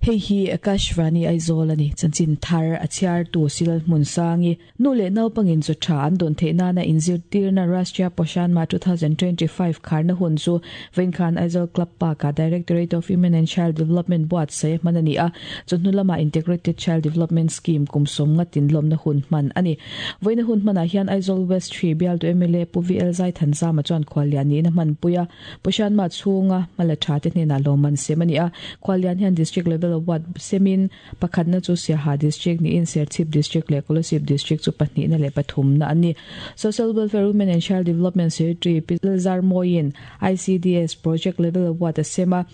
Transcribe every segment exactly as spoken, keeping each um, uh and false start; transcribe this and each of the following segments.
Hei hi Akashvani Aizawl ani chanchin thar a chhiar tu sil hmun sangi nu le naupangin chu tha an don theina na inzirtirna Rashtriya Poshan Ma twenty twenty-five kharna hun chu Venkhan Aizawl Club Park a Directorate of Women and Child Development buat se manani a chunnu lama Integrated Child Development Scheme kumsom nga tinlom na hun man ani voina hun mana hian Aizawl West three bial to M L A Pu V L Zai Thanza ma chuan khwalian ni na man puya Poshan Ma chunga mala tha te hne na loman se mani a khwalian hian district level award semin pakhatna chu Siaha district ni in Serchhip district le Kolasib district chu pahnih na le pathum na ani Social Welfare Women and Child Development Secretary Pilzar Moin I C D S project level award sema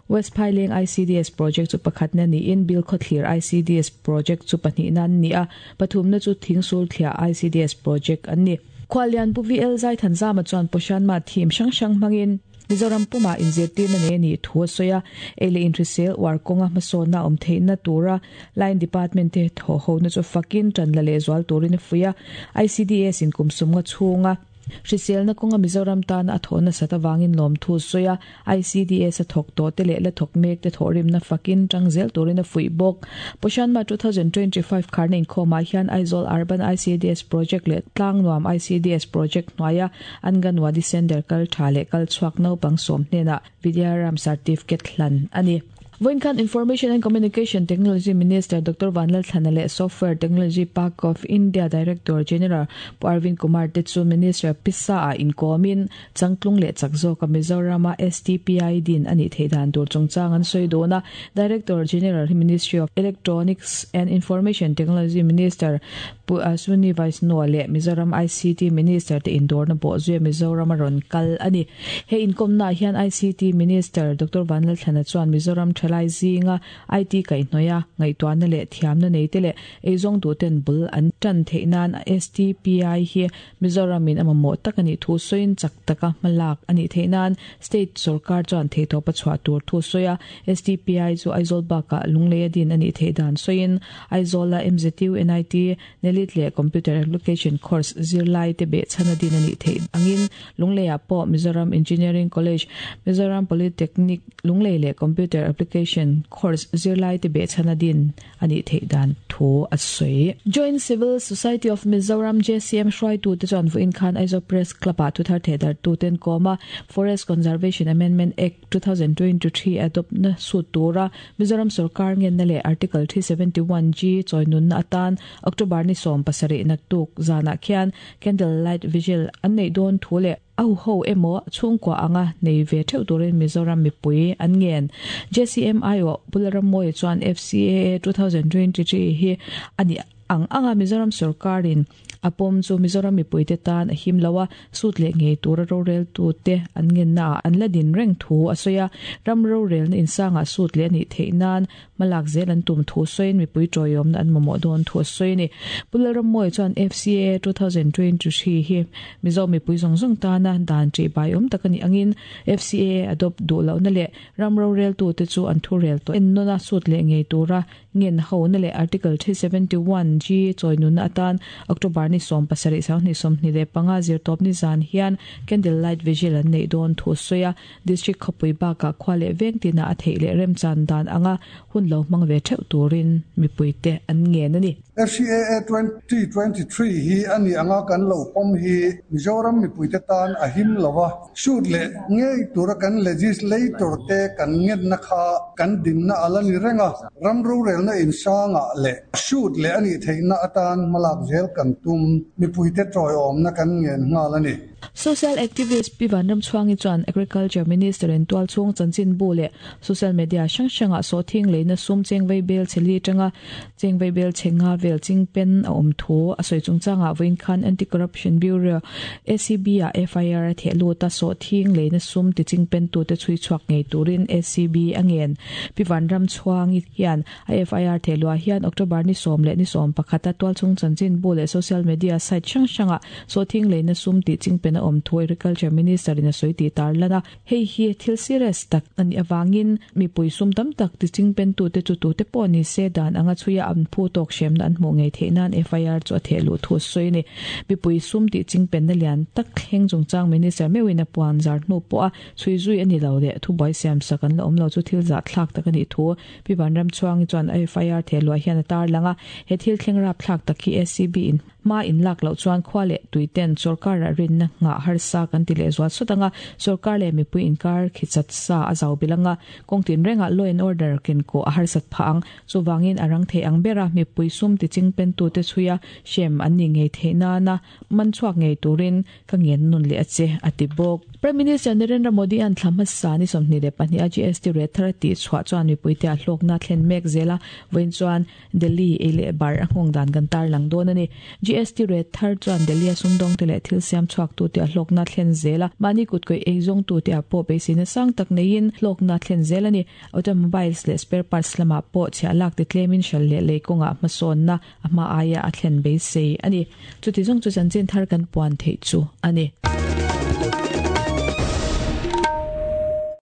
West Phaileng I C D S project chu pakhatna ni in Bilkhawthlir I C D S project chu pahnih na ni a pathum na chu Thingsul Thlia I C D S project ani Khwalian Pu V L Zai Thanza ma chuan Poshan Ma thim sang sang mangin Mizoram puma inzirtir na ne ni thu soya ele intrisel war konga masona om theina tura line department te tho ho na chu fakin tan la le zwal turin fuya I C D S in kumsum nga chunga Hrisel na konga Mizoram tan a thona sata wangin lom thu soya I C D S a thok to te le la thok mek te thorim na fakin tangzel turin a fui bok Poshan Ma twenty twenty-five kharna in khoma hian Aizawl Urban I C D S project le Tlangnuam I C D S project noya Anganwadi Center kal thale kal chuak no pangsom hne na Vidyaram certificate hlan ani Voinkhan Information and Communication Technology Minister Doctor Vanlal Thanale Software Technology Park of India Director General Arvind Kumar Tetsu Minister Pisa a in komin changtlung le chakzo ka Mizoram S T P I din ani theidan tur chungchang an soidona Director General Ministry of Electronics and Information Technology Minister Pu Aswini Vaishnaw le Mizoram I C T Minister te indor na bo zui Mizoram ron kal ani he inkom na hian I C T Minister Doctor Vanlal Thana chuan Mizoram thalai zinga I T kai noya ngaituan na le thiam na nei te le eizong tu ten bul an tan theinan S T P I hi Mizoram in amamo takani thu soin chak taka malak ani theinan state sarkar chuan theitho pa chwa tur thu soya S T P I chu Aizawl baka lunglei din ani theidan soin Aizawl M Z U N I T nelit le computer application course zirlai te be chana din ani thei angin lungleia po Mizoram Engineering College Mizoram Polytechnic lunglei le computer application course zirlai te be chana din ani theidan thu asoi Joint Civil Society of Mizoram J C M hroi tu te chuan vuin khan Aizawl Press Club a thu thar thedar tu ten koma Forest Conservation Amendment Act twenty twenty-three adopt na su tura Mizoram sarkar ngen na le Article three seventy-one G choinun na atan October ni som pasari na tuk zana khian candle light vigil an nei don thu le au ho emo chungkwa anga nei ve theu turin Mizoram mipui an ngen J C M I O Bularam moi chuan F C A A twenty twenty-three hi ani ang anga Mizoram sarkarin apom chu Mizoram mipui te tan a him lawa sut le nge tura ro rel tu te an ngen na an la din reng thu asoya ram ro rel na insanga sut le ni theinan malak zel an tum thu soin mipui troyom na an momo don thu soini Bularam moi chuan F C A twenty twenty-three hi Mizo mipui zong zong ta na dan chi bai om takani angin F C A adopt du lo na le ram ro rel tu te chu an thu rel to en nona sut le nge tura ngen ho na le Article three seventy-one G choinun atan October ni som pasari sang ni som ni le panga zir top ni zan hian candle light vigil an nei don thu soya district khopui ba ka khwale veng tina a theile rem chan dan anga hun lo mang ve theu turin mipui te an nge na ni F C A A twenty twenty-three hi ani anga kan lo pom hi Mizoram mipui te tan a him lawa shoot le nge tura kan legislator te kan nget na kha kan din na alani renga ram ro rel na insanga le shoot le ani theina atan malak zel kan tum mipui te troi om na kan ngen nga lani Social activist Pivan Ramchuangi chuan Agriculture Minister in tual chung chanchin bu le social media sang sanga so thing le na sum cheng vei bel cheli tanga cheng vei bel chenga vel ching pen a om thu a soi chung changa win khan Anti Corruption Bureau A C B a F I R the lu ta so thing le na sum ti ching pen tu te chui chuak ngei turin A C B angen Pivan Ramchuangi hian a F I R the lu hian October ni som le ni som pakhata tual chung chanchin bu le social media site sang sanga so thing le na sum ti ching pen pen a awm thu Agriculture Minister in a sawi tih tarlan a, hei hi thil serious tak ani awangin mipui sum tam tak ti ching pen tu te chu tu te pawh ni se dan anga chhuia an phu tawk hremna an hmuh ngei theih nan F I R chu a theh luh thu sawi ni. Mipui sum ti ching pen na lian tak thleng chungchang Minister meuhin a puan zar hnu pawh a chhui zui ani lo le thu buai siam sak an la awm lo chu thil zah thlak tak ani thu Pi Vanram Chuangi chuan F I R theh luah hian a tar langa he thil thleng rap thlak tak hi A C B in ma in lak lo chuan khwa le tuiten sarkar a rin na nga har sa kan ti le zual sotanga sarkar le mipui inkar khichat sa a zau bilanga kongtin renga law and order ken ko a har sat phang chuwangin arang the ang bera mipui sum ti ching pen tu te chuya shem an ni ngei the na na man chuak ngei turin ka ngen nun le ache atibok. Prime Minister Narendra Modi an thlama sa ni somni le pahnih a G S T rate thar ti chhuah chuan mipui te a hlawk na thlen mek zela vawiin chuan Delhi ei leh bar a nghawng dan kan tar lang dawn ani. G S T rate thar chuan Delhi a sumdawng te leh thil siam chhuak tu te a hlawk na thlen zela mahni kut kawih ei zawng tu te a pawh beiseina sang tak neiin hlawk na thlen zel ani. Automobiles leh spare parts lamah pawh chhiah lak ti tlemin hral leh lei kawngah hmasawn na a hma aia a thlen beisei ani. Chuti zawng chu chanchin thar kan puan theih chu ani.